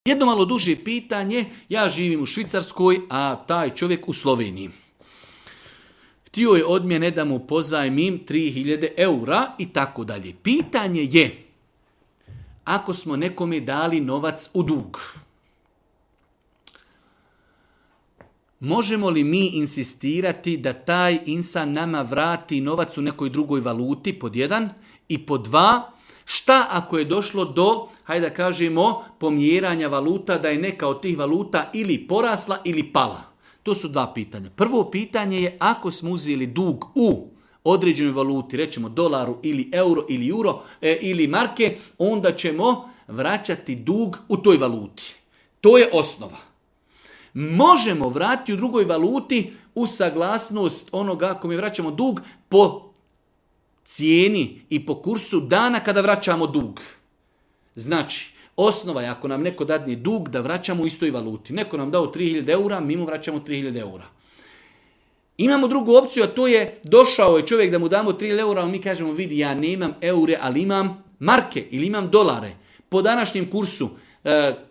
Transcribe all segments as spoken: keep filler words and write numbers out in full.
Jedno malo duže pitanje, ja živim u Švicarskoj, a taj čovjek u Sloveniji. Htio je od mene da mu pozajmim tri hiljade eura i tako dalje. Pitanje je, ako smo nekome dali novac u dug, možemo li mi insistirati da taj insan nama vrati novac u nekoj drugoj valuti, pod jedan, i pod dva, šta ako je došlo do, hajde da kažemo, pomjeranja valuta, da je neka od tih valuta ili porasla ili pala? To su dva pitanja. Prvo pitanje je, ako smo uzeli dug u određenoj valuti, rećemo dolaru ili euro ili euro e, ili marke, onda ćemo vraćati dug u toj valuti. To je osnova. Možemo vratiti u drugoj valuti uz saglasnost onoga kome vraćamo dug po cijeni i po kursu dana kada vraćamo dug. Znači, osnova je ako nam neko dadne dug da vraćamo u istoj valuti. Neko nam dao tri hiljade eura, mi mu vraćamo tri hiljade eura. Imamo drugu opciju, a to je došao je čovjek da mu damo tri hiljade eura, a mi kažemo vidi ja nemam eure, ali imam marke ili imam dolare. Po današnjem kursu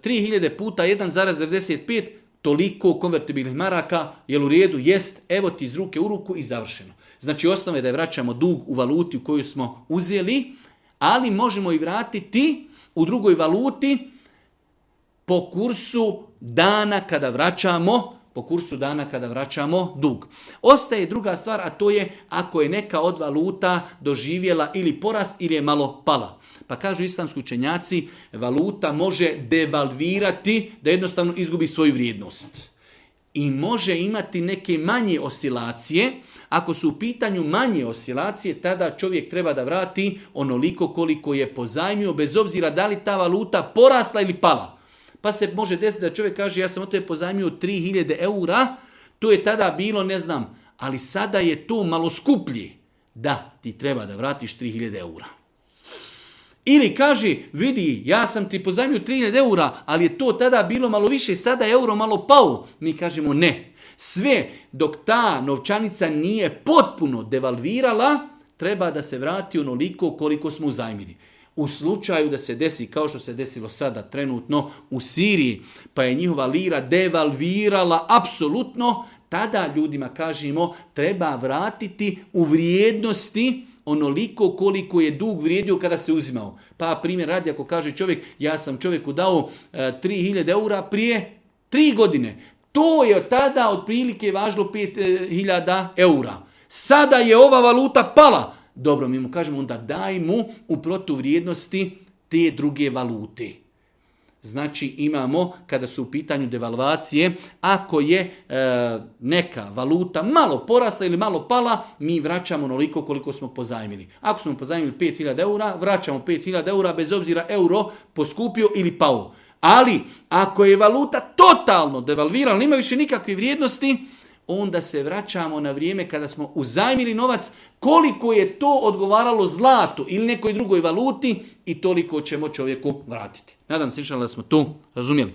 tri hiljade puta jedan zarez devedeset pet, toliko konvertibilnih maraka, jel u redu, jest, evo ti iz ruke u ruku i završeno. Znači osnova je da je vraćamo dug u valuti u koju smo uzeli, ali možemo i vratiti u drugoj valuti po kursu dana kada vraćamo, po kursu dana kada vraćamo dug. Ostaje druga stvar, a to je ako je neka od valuta doživjela ili porast ili je malo pala. Pa kažu islamski učenjaci, valuta može devalvirati da jednostavno izgubi svoju vrijednost. I može imati neke manje oscilacije. Ako su u pitanju manje oscilacije, tada čovjek treba da vrati onoliko koliko je pozajmio, bez obzira da li ta valuta porasla ili pala. Pa se može desiti da čovjek kaže ja sam od tebe pozajmio tri hiljade eura, to je tada bilo, ne znam, ali sada je to malo skuplje. Da, ti treba da vratiš tri hiljade eura. Ili kaže, vidi, ja sam ti pozajmio tri hiljade eura, ali je to tada bilo malo više, sada je euro malo pao. Mi kažemo ne. Sve dok ta novčanica nije potpuno devalvirala, treba da se vrati onoliko koliko smo uzajmili. U slučaju da se desi, kao što se desilo sada trenutno u Siriji, pa je njihova lira devalvirala apsolutno, tada ljudima kažemo treba vratiti u vrijednosti onoliko koliko je dug vrijedio kada se uzimao. Pa primjer radi ako kaže čovjek, ja sam čovjeku dao e, tri hiljade eura prije tri godine. To je od tada otprilike važilo pet hiljada eura. Sada je ova valuta pala. Dobro, mi mu kažemo onda daj mu u protuvrijednosti te druge valute. Znači imamo, kada su u pitanju devalvacije, ako je e, neka valuta malo porasla ili malo pala, mi vraćamo onoliko koliko smo pozajmili. Ako smo pozajmili pet hiljada eura, vraćamo pet hiljada eura bez obzira euro poskupio ili pao. Ali ako je valuta totalno devalvirala, nema više nikakve vrijednosti, onda se vraćamo na vrijeme kada smo uzajmili novac, koliko je to odgovaralo zlatu ili nekoj drugoj valuti i toliko ćemo čovjeku vratiti. Nadam se da smo to razumjeli.